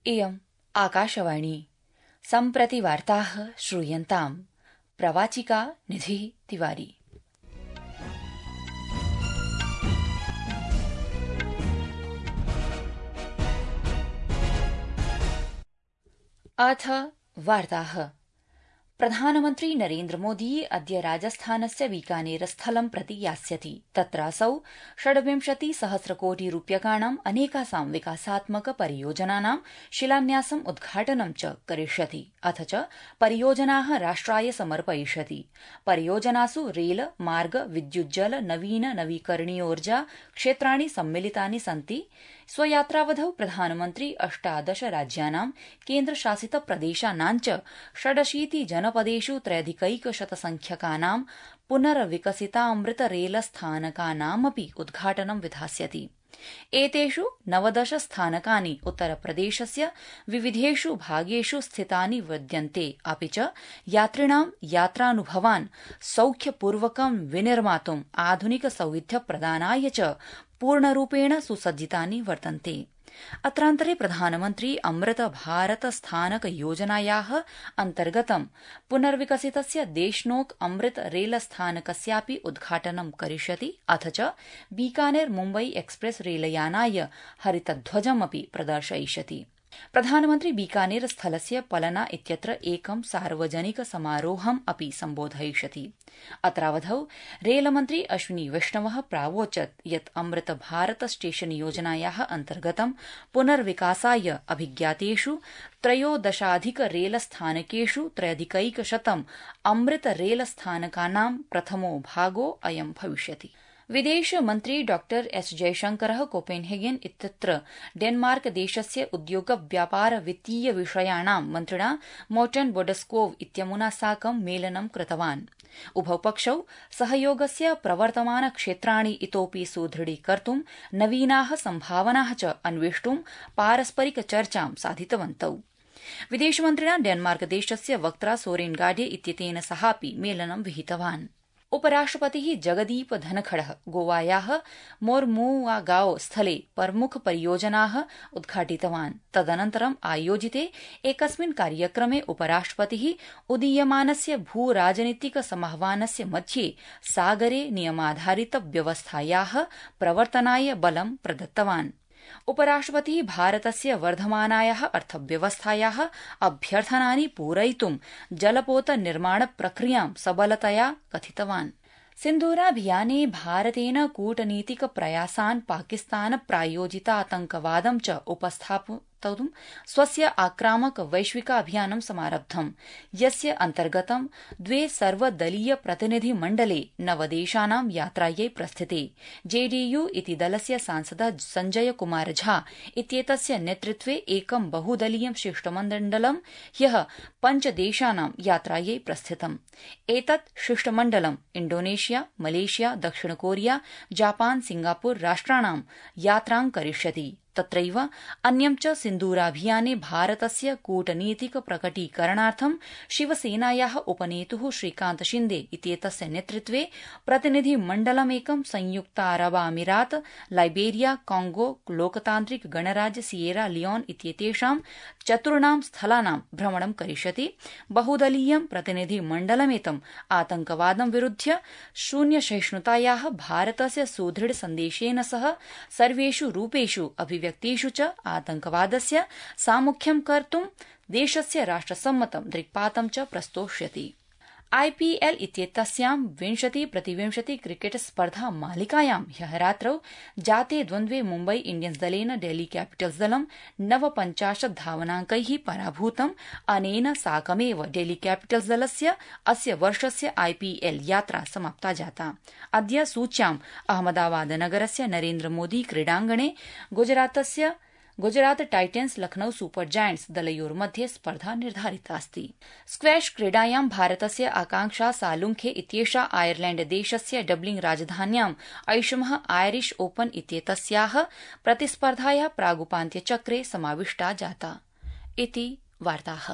इयम् आकाशवाणी सम्प्रति वार्ताः श्रूयन्ताम् प्रवाचिका निधिः तिवारी। अथ वार्ताः। प्रधानमन्त्री नरेन्द्र मोदी अद्य राजस्थानस्य बीकानेरस्थलं प्रति यास्यति। तत्रासौ 26 कोटि रूप्यकाणाम् अनेकासां विकासात्मक परियोजनानां शिलान्यासम् उद्घाटनं च करिष्यति। अथ च परियोजनाः राष्ट्राय समर्पयिष्यति। परियोजनासु रेल, मार्ग, विद्युज्जल, नवीन नवीकरणीयोर्जा क्षेत्राणि सम्मिलितानि सन्ति। स्वयात्रावधौ प्रधानमन्त्री 18 राज्यानां केन्द्रशासित प्रदेशानां च 86 जनपदेषु 3,100 पुनर्विकसितामृत रेलस्थानकानामपि उद्घाटनं विधास्यति। एतेषु 19 स्थानकानि उत्तरप्रदेशस्य विविधेषु भागेषु स्थितानि विद्यन्ते। अपि च यात्रिणां यात्रानुभवान् सौख्यपूर्वकं विनिर्मातुम् आधुनिक सौविध्यप्रदानाय च पूर्णरूपेण सुसज्जितानि वर्तन्ते। अत्रान्तरे प्रधानमन्त्री अमृत भारत स्थानक योजनायाः अन्तर्गतं पुनर्विकसितस्य देशनोक अमृत रेलस्थानकस्यापि उद्घाटनं करिष्यति। अथ च बीकानेर मुम्बई एक्सप्रेस रेलयानाय हरितध्वजमपि प्रदर्शयिष्यति। प्रधानमन्त्री बीकानेर स्थलस्य पलना इत्यत्र एकं सार्वजनिक समारोहम् अपि सम्बोधयिष्यति। अत्रावधौ रेलमन्त्री अश्विनी वैष्णवः प्रावोचत् यत् अमृत भारत स्टेशन योजनायाः अन्तर्गतं पुनर्विकासाय अभिज्ञातेषु 13 रेलस्थानकेषु 3,100 अमृत रेलस्थानकानां प्रथमो भागो अयं भविष्यति। विदेशमन्त्री डॉ एस जयशंकरः कोपेनहेगन इत्यत्र डेनमार्क देशस्य उद्योग व्यापार वित्तीय विषयाणां मन्त्रिणा मोर्टन बोडस्कोव इत्यमुना साकं मेलनं कृतवान्। उभौ पक्षौ सहयोगस्य प्रवर्तमान क्षेत्राणि इतोपि सुदृढीकर्तुं नवीनाः सम्भावनाः च अन्वेष्टुं पारस्परिक चर्चां साधितवन्तौ। विदेशमन्त्रिणा डेनमार्क देशस्य वक्त्रा सोरेन गाढे इत्येतेन सहापि मेलनं विहितवान्। उपराष्ट्रपतिः जगदीप धनखडः गोवायाः मोर्मुआगाओ स्थले प्रमुख परियोजनाः उद्घाटितवान्। तदनन्तरम् आयोजिते एकस्मिन् कार्यक्रमे उपराष्ट्रपतिः उदीयमानस्य भूराजनीतिक समाह्वानस्य मध्ये सागरे नियमाधारित व्यवस्थायाः प्रवर्तनाय बलं प्रदत्तवान्। उपराष्ट्रपतिः भारतस्य वर्धमानायाः अर्थव्यवस्थायाः अभ्यर्थनानि पूरयितुं जलपोत निर्माण प्रक्रियां सबलतया कथितवान्। सिन्धूराभियाने भारतेन कूटनीतिक प्रयासान् पाकिस्तान प्रायोजितातंकवादं च उपस्थापयितुं स्वस्य आक्रामक वैश्विकाभियानं समारब्धम्, यस्य अन्तर्गतं 2 सर्वदलीय प्रतिनिधि मण्डले 9 देशानां यात्रायै प्रस्थिते। जेडीयू इति दलस्य सांसदः संजय कुमार झा इत्येतस्य नेतृत्वे एकं बहुदलीयं शिष्टमण्डलं ह्यः 5 देशानां यात्रायै प्रस्थितम्। एतत् शिष्टमण्डलं इण्डोनेशिया, मलेशिया, दक्षिण कोरिया, जापान, सिंगापुर राष्ट्राणां यात्रां करिष्यति। तत्रैव अन्यं च सिन्दूराभियाने भारतस्य कूटनीतिक प्रकटीकरणार्थं शिवसेनायाः उपनेतुः श्रीकान्त शिन्दे इत्येतस्य नेतृत्वे प्रतिनिधिमण्डलमेकं संयुक्तारबामीरात, लाइबेरिया, कांगो, लोकतान्त्रिक गणराज्य सियेरा लियोन इत्येतेषां 4 स्थलानां भ्रमणं करिष्यति। बहुदलीयं प्रतिनिधिमण्डलमेतम् आतंकवादं विरुध्य शून्यसहिष्णुतायाः भारतस्य सुदृढ सन्देशेन सह सर्वेषु रूपेषु अभिव्यक्तिषु च आतंकवादस्य सामुख्यं कर्तुं देशस्य राष्ट्रसम्मतं दृक्पातं च प्रस्तोष्यति। आईपीएल इत्येतस्यां 20-20 क्रिकेट स्पर्धा मालिकायां ह्यः रात्रौ जाते द्वन्द्वे मुम्बई इण्डियन्स दलेन डेल्ही कैपिटल्स दलं 59 धावनाङ्कैः पराभूतम्। अनेन साकमेव डेल्ही कैपिटल्स दलस्य अस्य वर्षस्य आईपीएल यात्रा समाप्ता जाता। अद्य सूच्याम् अहमदाबाद नगरस्य नरेन्द्र मोदी क्रीडाङ्गणे Gujarat titans Lucknow super giants दलयोर्मध्ये स्पर्धा निर्धारितास्ति। स्क्वैश क्रीडायां भारतस्य आकांक्षा सालुंखे इत्येषा आयरलैण्ड देशस्य डबलिंग राजधान्यां ऐषमः आयरिश ओपन इत्येतस्याः प्रतिस्पर्धायाः प्रागुपान्त्यचक्रे समाविष्टा जाता। इति वार्ताः।